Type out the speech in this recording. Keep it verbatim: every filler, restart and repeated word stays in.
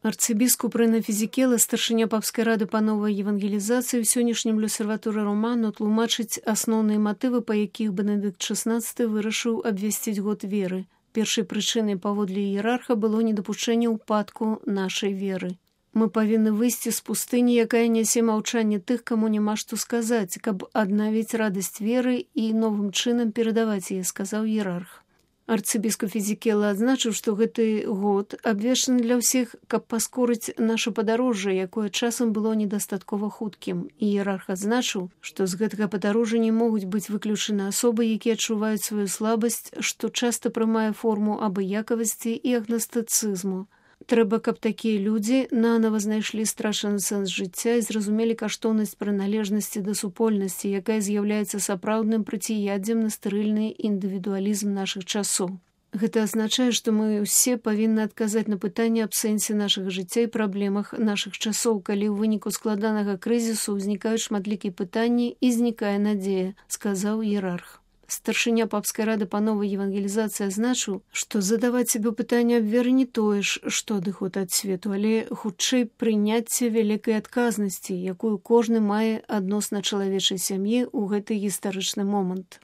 Арцыбіскуп Рэна Фізікела, старшыня папскай рады па новай евангелізацыі, ў сённяшнім люсерватуры роману тлумачыць асноўныя матывы, па якіх Бенедыкт шаснаццаты вырашыў абвясціць год веры. Першай прычынай паводле іерарха было недапушчэнне ўпадку нашай веры. Мы павінны выйсці з пустыні, якая нясе маўчанне тых, каму няма што сказаць, каб аднавіць радасць веры і новым чынам перадаваць яе, сказаў іерарх. Арцыбіскуп Фізікела адзначыў, што гэты год абвешчаны для ўсіх, каб паскорыць наша падарожжа, якое часам было недастаткова хуткім. Іерарх адзначыў, што з гэтага падарожжа не могуць быць выключаны асобы, якія адчуваюць сваю слабасць, што часта прымае форму абыякавасці і агнастыцызму. Трэба, каб такія людзі нанава знайшлі страчаны сэнс жыцця і зразумелі каштоўнасць прыналежнасці да супольнасці, якая з'яўляецца сапраўдным проціяддзем на стэрыльны індывідуалізм нашых часоў. Гэта азначае, што мы ўсе павінны адказаць на пытанне аб сэнсе нашага жыцця і праблемах нашых часоў, калі ў выніку складанага крызісу ўзнікаюць шматлікія пытанні і знікае надзея, сказаў іерарх. Старшыня папскай рады па новай евангелізацыі азначыў, што задаваць сабе пытанне аб веры не тое ж, што адыход ад свету, але хутчэй прыняцце вялікай адказнасці, якую кожны мае адносна чалавечай сям'і ў гэты гістарычны момант.